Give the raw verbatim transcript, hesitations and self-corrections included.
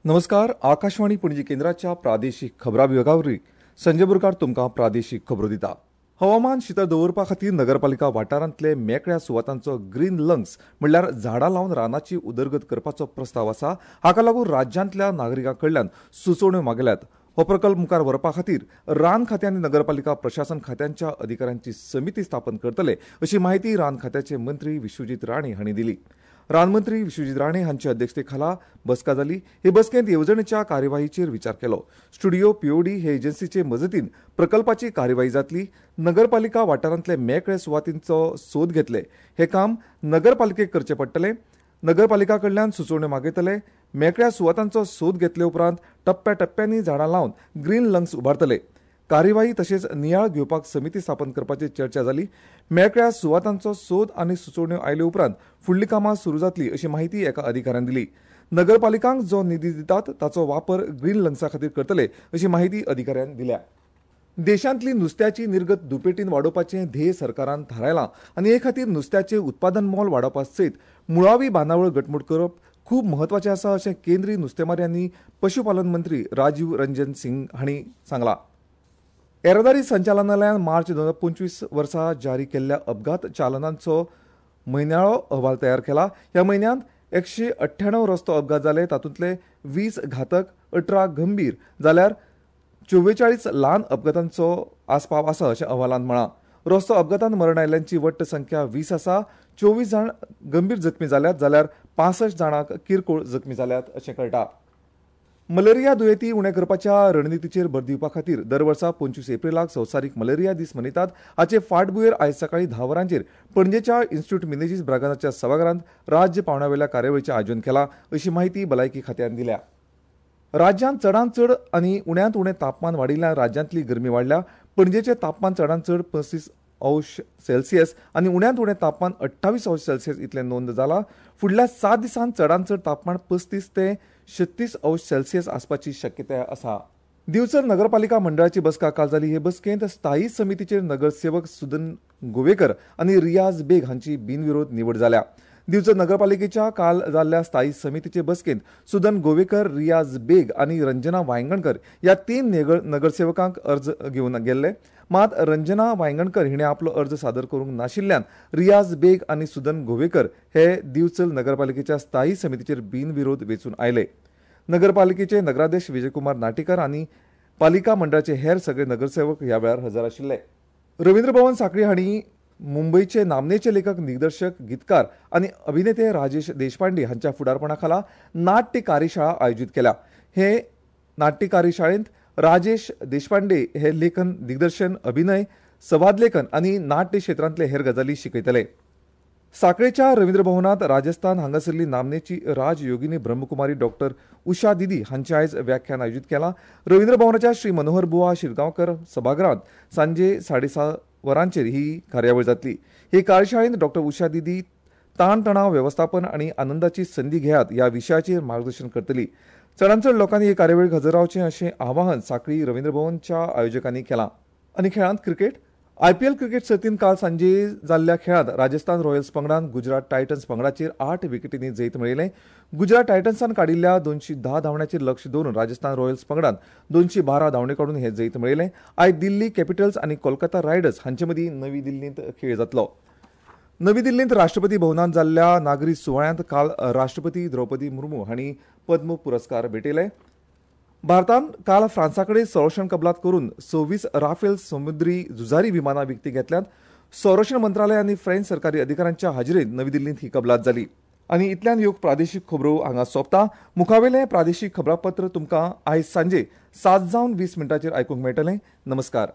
नमस्कार, आकाशवाणी पणजी केंद्राच्या प्रादेशीक खबरां विभागा वरवीं संजय बोरकार तुमकां प्रादेशीक खबरो दिता. हवामान शितळ दवरपा खातीर नगरपालिका वाठारांतले मेकळ्या सुवातांचो ग्रीन लंग्स म्हणल्यार झाडां लावन रानाची उदरगत करपाचो प्रस्ताव आसा. हाका लागून राज्यांतल्या नागरिकां कडल्यान सुचोवण्यो मागल्यात. हो प्रकल्प मुखार व्हरपा खातीर रान खातें आनी नगरपालिका प्रशासन खात्यांच्या अधिकाऱ्यांची समिती स्थापन करतले अशी माहिती रान खात्याचे मंत्री विश्वजीत राणे हांणी दिली. रानमंत्री विश्वजीत राणे हांच्या अध्यक्षते खाला बसका जाली. हे बसकेंत येवजणेच्या कार्यवाहीचेर विचार केलो. स्टुडिओ पीओडी हे एजन्सीचे मजतीन प्रकल्पाची कार्यवाही जातली. नगरपालिका वाठारांतले मेकळे सुवातींचो सोद घेतले. हे काम नगरपालिकेक करचें पडटलें. नगरपालिका कडल्यान सुचोवण्यो मागयतले. मेकळ्या सुवातांचो सोद घेतले उपरांत टप्प्याटप्प्यांनी झाडां लावन ग्रीन लंग्स उबारतले. कार्यवाही तशेंच नियाळ घेवपाक समिती स्थापन करपाची चर्चा जाली. मेकळ्या सुवातांचो सोद आनी सुचोवण्यो आयले उपरांत फुडलीं कामां सुरू जातली अशी माहिती एका अधिकाऱ्यान दिली. नगरपालिकांक जो निधी दितात ताचो वापर ग्रीन लंग्सा खातीर करतले अशी माहिती अधिकाऱ्यान दिल्या. देशांतली नुस्त्याची निर्गत दुपेटीन वाडोवपाचें ध्येय सरकारान थारायलां आनी हे खातीर नुस्त्याचें उत्पादन मोल वाडोवपा सयत मुळावी बांदावळ घटमूट करप खूब म्हत्वाचें आसा अशें केंद्रीय नुस्तेमारी आनी पशुपालन मंत्री राजीव रंजन सिंग हांणी सांगलां. येरादारी संचालनालयान मार्च दोन हजार पंचवीस वर्सा जारी केल्ल्या अपघात चालनांचो म्हयन्याळो अहवाल तयार केला. ह्या म्हयन्यांत एकशे अठ्ठ्याणव रस्तो अपघात जाले. तातूंतले वीस घातक, अठरा गंभीर जाल्यार चोवेचाळीस ल्हान अपघातांचो आस्पाव आसा अशें अहवालांत म्हळां. रस्तो अपघातांत मरण आयिल्ल्यांची वट्ट संख्या वीस आसा. चोवीस जाण गंभीर जखमी जाल्यात जाल्यार पांसश्ट जाणांक किरकोळ जखमी जाल्यात अशें कळटा. मलेरिया दुयेंती उणें करपाच्या रणनितीचेर भर दिवपा खातीर दर वर्सा पंचवीस एप्रिलाक संवसारीक मलेरिया दीस मनयतात. हाचे फाटभुंयेर आयज सकाळीं धा वरांचेर पणजेच्या इन्स्टिट्यूट मिनेजीस ब्रागांझाच्या सभाघरांत राज्य पांवड्यावेल्या कार्यावळीचें आयोजन केलां अशी माहिती भलायकी खात्यान दिल्या. राज्यांत चडांत चड आनी उण्यांत उणें तापमान वाडिल्ल्यान राज्यांतली गरमी वाडल्या. पणजेचें तापमान चडांत चड पस्तीस अंश सेल्सियस आनी उण्यांत उणें तापमान अठ्ठावीस अंश सेल्सियस इतलें नोंद जालां. फुडल्या सात दिसांत चडांत चड तापमान पस्तीस ते छत्तीस अंश सेल्सियस आसपाची शक्यताय आसा. दिवचल नगरपालिका मंडळाची बसका काल जाली. हे बसकेंत स्थायी समितीचेर नगरसेवक सुदन गोवेकर आनी रियाज बेग हांची बिनविरोध निवड जाल्या. दिवचल नगरपालिकेच्या काल जाल्ल्या स्थायी समितीचे बसकेंत सुदन गोवेकर, रियाज बेग आनी रंजना वायंगणकर ह्या तीन नगरसेवकांक अर्ज घेवन गेल्ले. मात रंजना वायंगणकर हिणें आपलो अर्ज सादर करूंक नाशिल्ल्यान रियाज बेग आनी सुदन गोवेकर हे दिवचल नगरपालिकेच्या स्थायी समितीचेर बिनविरोध वेंचून आयले. नगरपालिकेचे नगराध्यक्ष विजयकुमार नाटेकर आनी पालिका मंडळाचे हेर सगळे नगरसेवक ह्या वेळार हजर आशिल्ले. रवींद्र भवन सांखळी हांणी मुंबयचे नामनेचे लेखक, दिग्दर्शक, गीतकार आनी अभिनेते राजेश देशपांडे हांच्या फुडारपणा खाला नाट्य कार्यशाळा आयोजीत केल्या. हे नाट्य कार्यशाळेंत राजेश देशपांडे हे लेखन, दिग्दर्शन, अभिनय, संवाद लेखन आनी नाट्य क्षेत्रांतले हेर गजाली शिकयतले. साखळेच्या रवींद्र भवनांत राजस्थान हांगासरली नामनेची राजयोगिनी ब्रह्मकुमारी डॉक्टर उषा दिदी हांचे आयज व्याख्यान आयोजीत केलां. रवींद्र भवनाच्या श्री मनोहर बुवा शिरगांवकर सभागृहांत सांजे साडे सात वरांचेर ही कार्यावळ जातली. हे कार्यशाळेंत डॉक्टर उषा दिदी ताणतणाव वेवस्थापन आनी आनंदाची संदी घेयात ह्या विशयाचेर मार्गदर्शन करतली. चडांत चड लोकांनी हे कार्यावळीक हजर रावचें अशें आवाहन सांखळी रवींद्र भवनच्या आयोजकांनी केलां. आनी खेळांत क्रिकेट. आयपीएल क्रिकेट सर्तींत काल सांजे जाल्ल्या खेळांत राजस्थान रॉयल्स पंगडान गुजरात टायटन्स पंगडाचेर आठ विकेटींनी जैत मेळयलें. गुजरात टायटन्सान काडिल्ल्या दोनशे धा धांवड्यांचेर लक्ष दवरून राजस्थान रॉयल्स पंगडान दोनशे बारा धांवड्यो काडून हें जैत मेळयलें. आयज दिल्ली कॅपिटल्स आनी कोलकाता रायडर्स हांचे मदीं नवी दिल्लींत खेळ जातलो. नवी दिल्लींत राष्ट्रपती भवनांत जाल्ल्या नागरी सुवाळ्यांत काल राष्ट्रपती द्रौपदी मुर्मू हांणी पद्म पुरस्कार भेटयले. भारतान काल फ्रांसा कडेन संरक्षण कबलात करून सव्वीस राफेल समुद्री झुजारी विमानां विकती घेतल्यांत. संरक्षण मंत्रालय आनी फ्रेंच सरकारी अधिकाऱ्यांच्या हाजेरींत नवी दिल्लींत ही कबलात जाली. आनी इतल्यान ह्यो प्रादेशीक खबरो हांगा सोंपता. मुखावेलें प्रादेशीक खबरापत्र तुमकां आयज सांजे सात जावन वीस मिनटांचेर आयकूंक मेळटलें. नमस्कार.